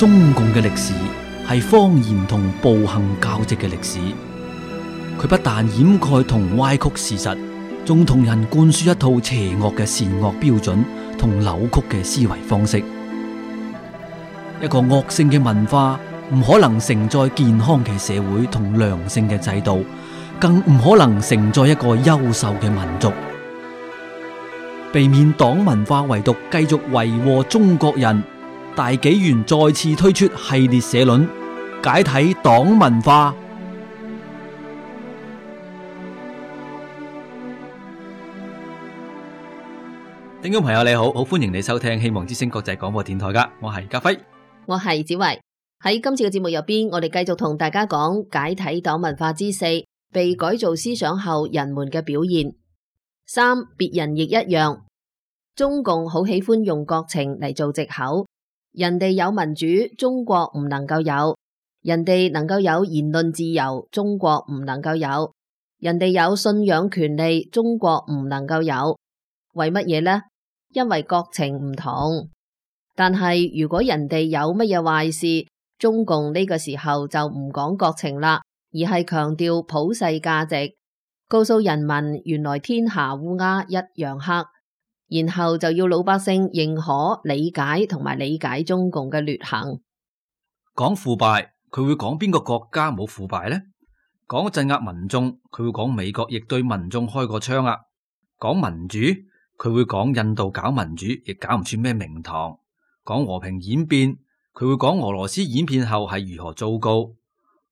中共嘅歷史係謊言同暴行交織嘅歷史。佢不但掩蓋同歪曲事實，仲同人灌輸一套邪惡嘅善惡標準同扭曲嘅思維方式。一個惡性嘅文化唔可能承載健康嘅社會同良性嘅制度，更唔可能承載一個優秀嘅民族。避免黨文化遺毒繼續為禍中國人，大紀元再次推出系列社論，解體黨文化。聽眾朋友你好，好歡迎你收聽希望之聲國際廣播電台噶，我係家輝，我係子維。喺今次嘅節目入邊，我哋繼續同大家講解體黨文化之四，被改造思想後人們嘅表現。三，別人亦一樣。中共好喜歡用國情嚟做藉口，人哋有民主，中國唔能夠有；人哋能夠有言論自由，中國唔能夠有；人哋有信仰權利，中國唔能夠有。為乜嘢呢？因為國情唔同。但係如果人哋有乜嘢壞事，中共呢個時候就唔講國情啦，而係強調普世價值，告訴人民原來天下烏鴉一樣黑，然後就要老百姓認可、理解同埋理解中共嘅劣行。講腐敗，佢會講邊個國家冇腐敗呢？講鎮壓民眾，佢會講美國亦對民眾開過槍啊。講民主，佢會講印度搞民主亦搞唔出咩名堂。講和平演變，佢會講俄羅斯演變後係如何糟糕。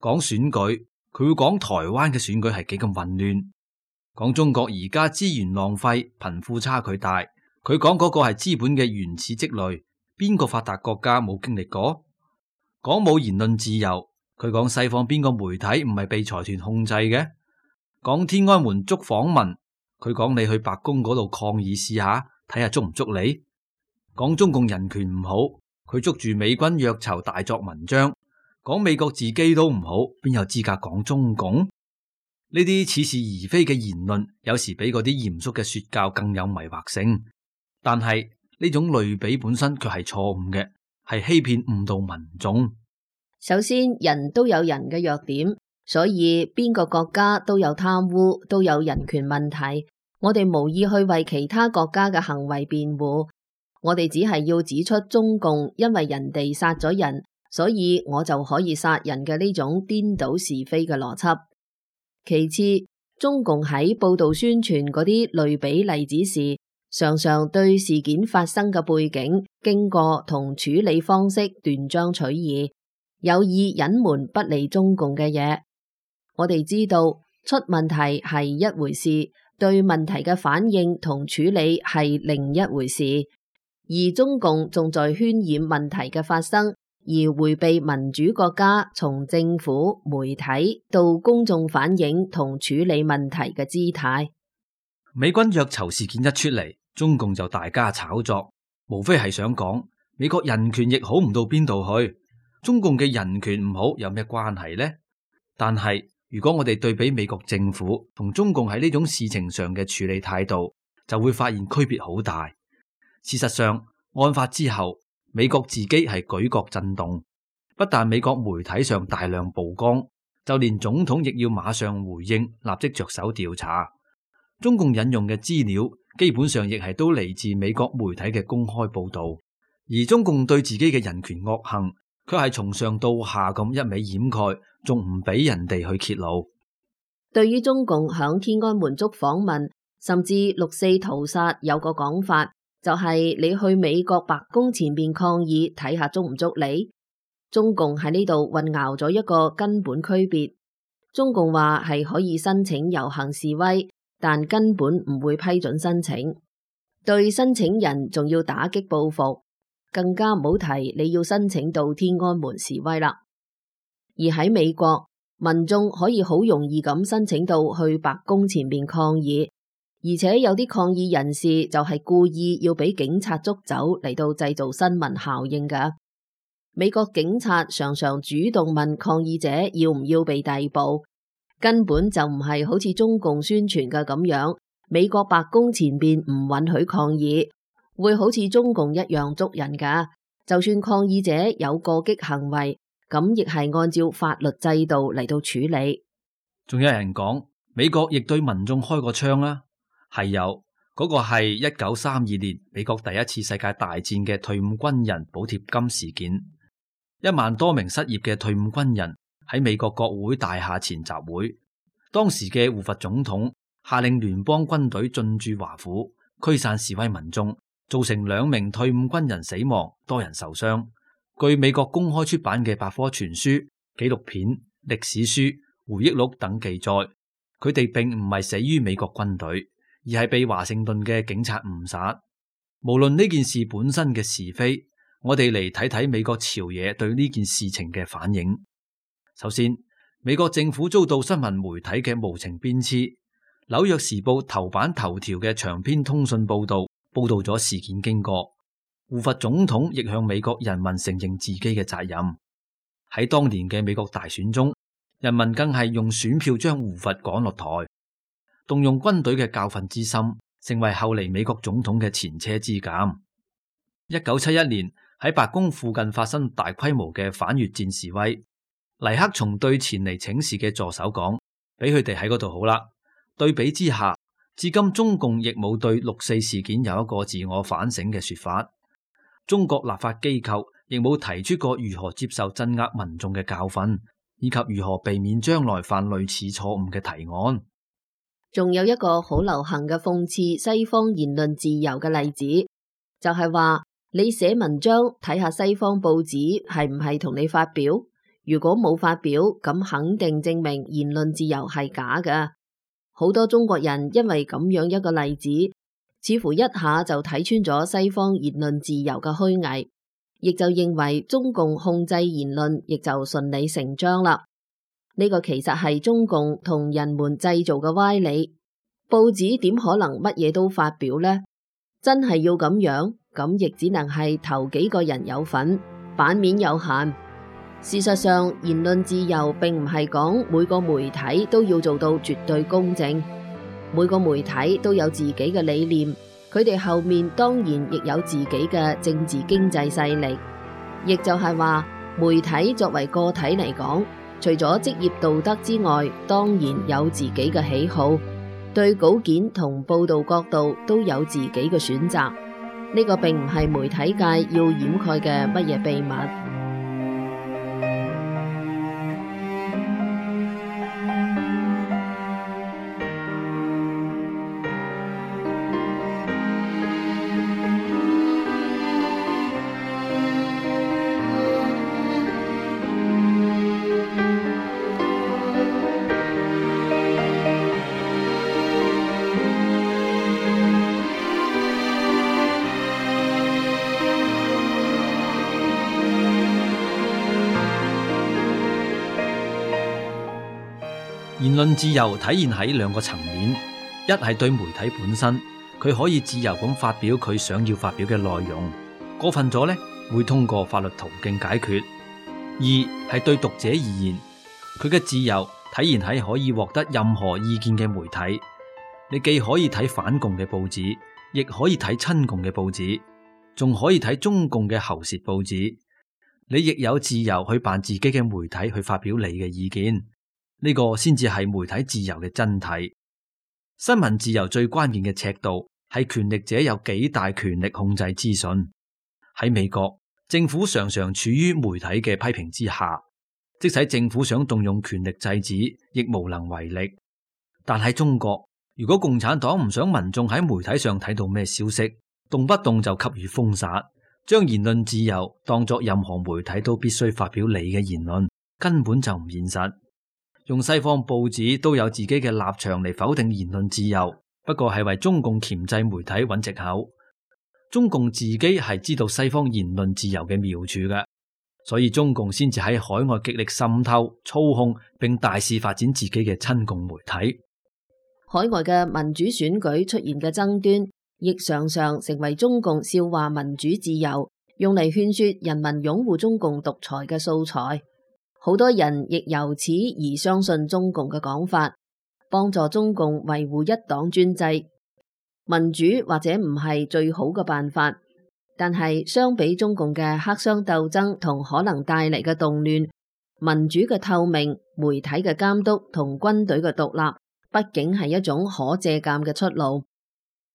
講選舉，佢會講台灣嘅選舉係幾咁混亂。講中國而家資源浪費，貧富差距大，佢講嗰個係資本嘅原始積累，邊個發達國家冇經歷過？講冇言論自由，佢講西方邊個媒體唔係被財團控制嘅？講天安門捉訪民，佢講你去白宮嗰度抗議試下，睇下捉唔捉你？講中共人權唔好，佢捉住美軍虐囚大作文章，講美國自己都唔好，邊有資格講中共？呢啲似是而非嘅言論，有時比嗰啲嚴肅嘅說教更有迷惑性。但係呢種類比本身卻係錯誤嘅，係欺騙誤導民眾。首先，人都有人嘅弱點，所以邊個國家都有貪污，都有人權問題。我哋無意去為其他國家嘅行為辯護，我哋只係要指出中共因為人哋殺咗人，所以我就可以殺人嘅呢種顛倒是非嘅邏輯。其次，中共喺報道宣傳嗰啲類比例子時，常常對事件發生嘅背景、經過同處理方式斷章取義，有意隱瞞不利中共嘅嘢。我哋知道出問題係一回事，對問題嘅反應同處理係另一回事，而中共仲在渲染問題嘅發生，而迴避民主國家從政府、媒體到公眾反映同處理問題嘅姿態。美軍虐囚事件一出嚟，中共就大加炒作，無非係想講美國人權亦好唔到邊度去，中共嘅人權唔好有咩關係呢？但係如果我哋對比美國政府同中共喺呢種事情上嘅處理態度，就會發現區別好大。事實上，案發之後，美國自己係舉國震動，不但美國媒體上大量曝光，就連總統亦要馬上回應，立即着手調查。中共引用嘅資料基本上亦係都嚟自美國媒體嘅公開報道，而中共對自己嘅人權惡行，卻係從上到下咁一味掩蓋，仲唔俾人哋去揭露。對於中共響天安門捉訪民，甚至六四屠殺，有個講法，就係你去美國白宮前面抗議，睇下捉唔捉你。中共喺呢度混淆咗一個根本區別。中共話係可以申請遊行示威，但根本唔會批准申請。對申請人仲要打擊報復，更加唔好提你要申請到天安門示威啦。而喺美國，民眾可以好容易咁申請到去白宮前面抗議。而且有啲抗議人士就係故意要俾警察捉走嚟到製造新聞效應㗎。美國警察常常主動問抗議者要唔要被逮捕，根本就唔係好似中共宣傳嘅咁樣，美國白宮前邊唔允許抗議，會好似中共一樣捉人㗎。就算抗議者有過激行為，咁亦係按照法律制度嚟到處理。仲有人講美國亦對民眾開過槍啊，係有，嗰個係1932年美國第一次世界大戰嘅退伍軍人補貼金事件。1萬多名失業嘅退伍軍人喺美國國會大廈前集會，當時嘅胡佛總統下令聯邦軍隊進駐華府，驅散示威民眾，造成2名退伍軍人死亡，多人受傷。據美國公開出版嘅百科全書、紀錄片、歷史書、回憶錄等記載，佢哋並唔係死於美國軍隊，而係被華盛頓嘅警察誤殺。無論呢件事本身嘅是非，我哋嚟睇睇美國朝野對呢件事情嘅反應。首先，美國政府遭到新聞媒體嘅無情鞭笞。紐約時報頭版頭條嘅長篇通訊報道咗事件經過。胡佛總統亦向美國人民承認自己嘅責任。喺當年嘅美國大選中，人民更係用選票將胡佛趕落台。動用軍隊嘅教訓之心，成為後嚟美國總統嘅前車之鑑。1971年喺白宮附近發生大規模嘅反越戰示威，尼克松對前嚟請示嘅助手講：俾佢哋喺嗰度好啦。對比之下，至今中共亦冇對6·4事件有一個自我反省嘅說法。中國立法機構亦冇提出過如何接受鎮壓民眾嘅教訓，以及如何避免將來犯類似錯誤嘅提案。仲有一個好流行嘅諷刺西方言論自由嘅例子，就係話你寫文章睇下西方報紙係唔係同你發表，如果冇發表，咁肯定證明言論自由係假嘅。好多中國人因為咁樣一個例子，似乎一下就睇穿咗西方言論自由嘅虛偽，亦就認為中共控制言論亦就順理成章啦。呢個其實係中共同人們製造嘅歪理。報紙點可能乜嘢都發表呢？真係要咁樣，咁亦只能係頭幾個人有份，版面有限。事實上，言論自由並唔係講每個媒體都要做到絕對公正。每個媒體都有自己嘅理念，佢哋後面當然亦有自己嘅政治經濟勢力。亦就係話，媒體作為個體嚟講，除咗職業道德之外，當然有自己嘅喜好，對稿件同報道角度都有自己嘅選擇。呢個並唔係媒體界要掩蓋嘅乜嘢秘密。言論自由體現喺2個層面，一係對媒體本身，佢可以自由咁發表佢想要發表嘅內容，過分咗呢，會通過法律途徑解決。二係對讀者而言，佢嘅自由體現喺可以獲得任何意見嘅媒體。你既可以睇反共嘅報紙，亦可以睇親共嘅報紙，仲可以睇中共嘅喉舌報紙。你亦有自由去辦自己嘅媒體，去發表你嘅意見。呢個先至係媒體自由嘅真諦。新聞自由最關鍵嘅尺度係權力者有幾大權力控制資訊。喺美國，政府常常處於媒體嘅批評之下，即使政府想動用權力制止，亦無能為力。但喺中國，如果共產黨唔想民眾喺媒體上睇到咩消息，動不動就給予封殺，將言論自由當作任何媒體都必須發表你嘅言論，根本就唔現實。用西方報紙都有自己嘅立場嚟否定言論自由，不過係為中共鉗制媒體揾藉口。中共自己係知道西方言論自由嘅妙處嘅，所以中共先至喺海外極力滲透、操控並大肆發展自己嘅親共媒體。海外嘅民主選舉出現嘅爭端，亦常常成為中共笑話民主自由，用嚟勸說人民擁護中共獨裁嘅素材。好多人亦由此而相信中共嘅講法，幫助中共維護一黨專制。民主或者唔係最好嘅辦法，但係相比中共嘅黑箱鬥爭同可能帶嚟嘅動亂，民主嘅透明、媒體嘅監督同軍隊嘅獨立，畢竟係一種可借鑑嘅出路。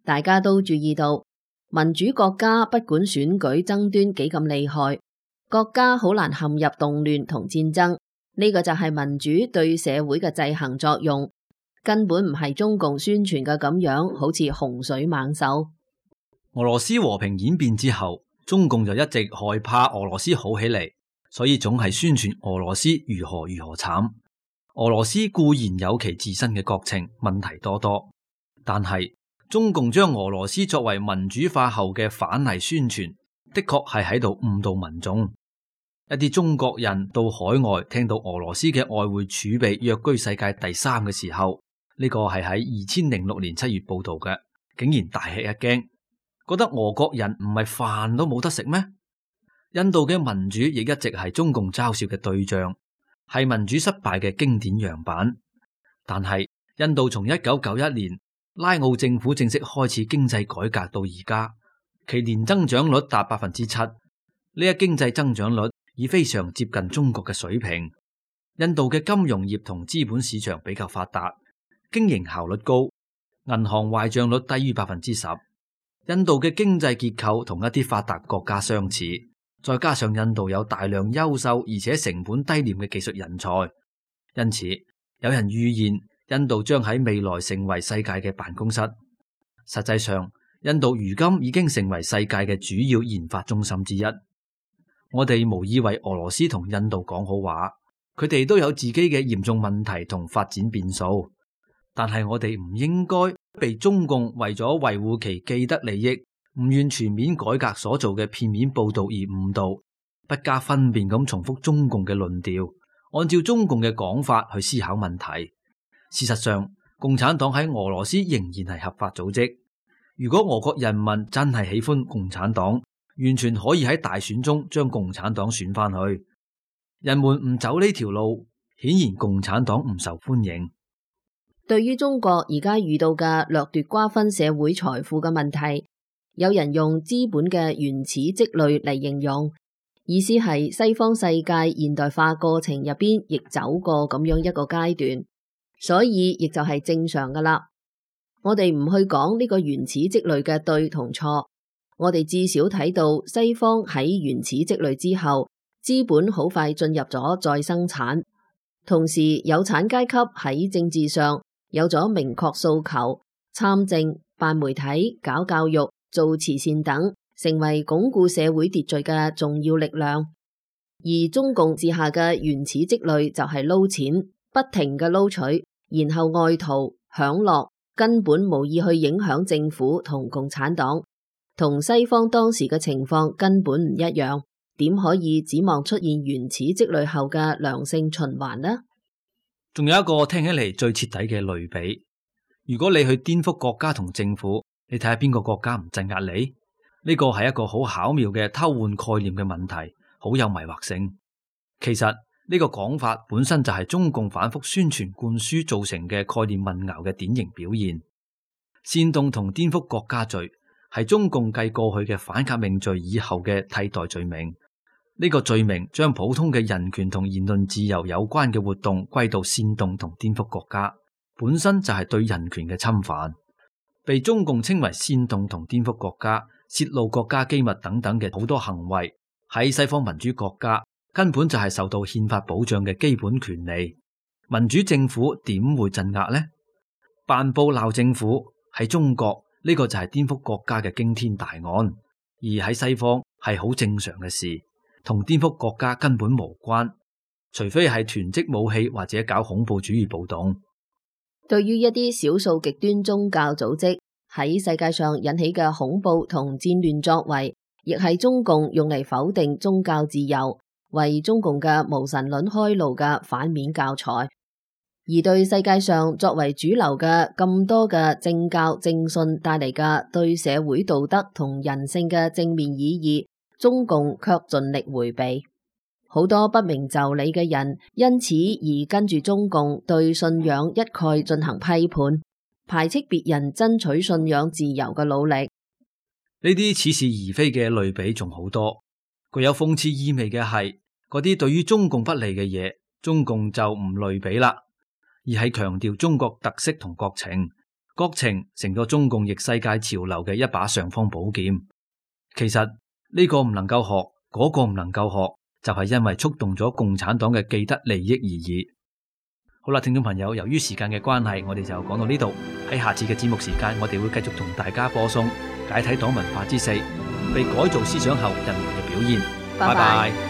大家都注意到，民主國家不管選舉爭端幾咁厲害，國家好難陷入動亂同戰爭。呢個就係民主對社會嘅制衡作用，根本唔係中共宣傳嘅咁樣，好似洪水猛獸。俄羅斯和平演變之後，中共就一直害怕俄羅斯好起嚟，所以總係宣傳俄羅斯如何如何慘。俄羅斯固然有其自身嘅國情，問題多多，但係中共將俄羅斯作為民主化後嘅反例宣傳，的確係喺度誤導民眾。一啲中國人到海外聽到俄羅斯嘅外匯儲備躍居世界第3嘅時候，呢個係喺2006年7月報道嘅，竟然大吃一驚，覺得俄國人唔係飯都冇得食咩？印度嘅民主亦一直係中共嘲笑嘅對象，係民主失敗嘅經典樣板。但係印度從1991年拉奧政府正式開始經濟改革到而家，其年增長率達7%，呢一經濟增長率已非常接近中國嘅水平。印度嘅金融業同資本市場比較發達，經營效率高，銀行壞賬率低於10%。印度嘅經濟結構同一啲發達國家相似，再加上印度有大量優秀而且成本低廉嘅技術人才，因此有人預言印度將喺未來成為世界嘅辦公室。實際上，印度如今已經成為世界嘅主要研發中心之一。我哋無意為俄羅斯同印度講好話，佢哋都有自己嘅嚴重問題同發展變數，但係我哋唔應該被中共為咗維護其既得利益，唔願全面改革所做嘅片面報道而誤導，不加分辨咁重複中共嘅論調，按照中共嘅講法去思考問題。事實上，共產黨喺俄羅斯仍然係合法組織。如果俄國人民真係喜歡共產黨，完全可以喺大選中將共產黨選翻去。人們唔走呢條路，顯然共產黨唔受歡迎。對於中國而家遇到嘅掠奪瓜分社會財富嘅問題，有人用資本嘅原始積累嚟形容，意思係西方世界現代化過程入邊亦走過咁樣一個階段，所以亦就係正常噶啦。我哋唔去講呢個原始積累嘅對同錯，我哋至少睇到西方喺原始積累之後，資本好快進入咗再生產，同時有產階級喺政治上有咗明確訴求，參政、辦媒體、搞教育、做慈善等，成為鞏固社會秩序嘅重要力量。而中共治下嘅原始積累就係撈錢，不停嘅撈取，然後愛圖享樂，根本無意去影響政府同共產黨，同西方當時嘅情況根本唔一樣，點可以指望出現原始積累後嘅良性循環呢？仲有一個聽起嚟最徹底嘅類比，如果你去顛覆國家同政府，你睇下邊個國家唔鎮壓你？呢個係一個好巧妙嘅偷換概念嘅問題，好有迷惑性。其實呢個講法本身就係中共反覆宣傳灌輸造成嘅概念混淆嘅典型表現。煽動同顛覆國家罪係中共繼過去嘅反革命罪以後嘅替代罪名。呢個罪名將普通嘅人權同言論自由有關嘅活動歸到煽動同顛覆國家，本身就係對人權嘅侵犯。被中共稱為煽動同顛覆國家、洩露國家機密等等嘅好多行為，喺西方民主國家根本就係受到憲法保障嘅基本權利。民主政府點會鎮壓呢？辦報鬧政府喺中國呢個就係顛覆國家嘅驚天大案，而喺西方係好正常嘅事，同顛覆國家根本無關，除非係囤積武器或者搞恐怖主義暴動。對於一啲少數極端宗教組織喺世界上引起嘅恐怖同戰亂作為，亦係中共用嚟否定宗教自由，為中共嘅無神論開路嘅反面教材。而對世界上作為主流嘅咁多嘅政教正信帶嚟嘅對社會道德同人性嘅正面意義，中共卻盡力迴避。好多不明就里嘅人因此而跟住中共對信仰一概進行批判，排斥別人爭取信仰自由嘅努力。呢啲似是而非嘅類比仲好多，具有諷刺意味嘅係嗰啲對於中共不利嘅嘢，中共就唔類比啦，而係強調中國特色同國情，國情成咗中共逆世界潮流嘅一把尚方寶劍。其實呢個唔能夠學，嗰個唔能夠學，就係因為觸動咗共產黨嘅既得利益而已。好啦，聽眾朋友，由於時間嘅關係，我哋就講到呢度。喺下次嘅節目時間，我哋會繼續同大家播送解體黨文化之4，被改造思想後人們嘅表現。拜拜。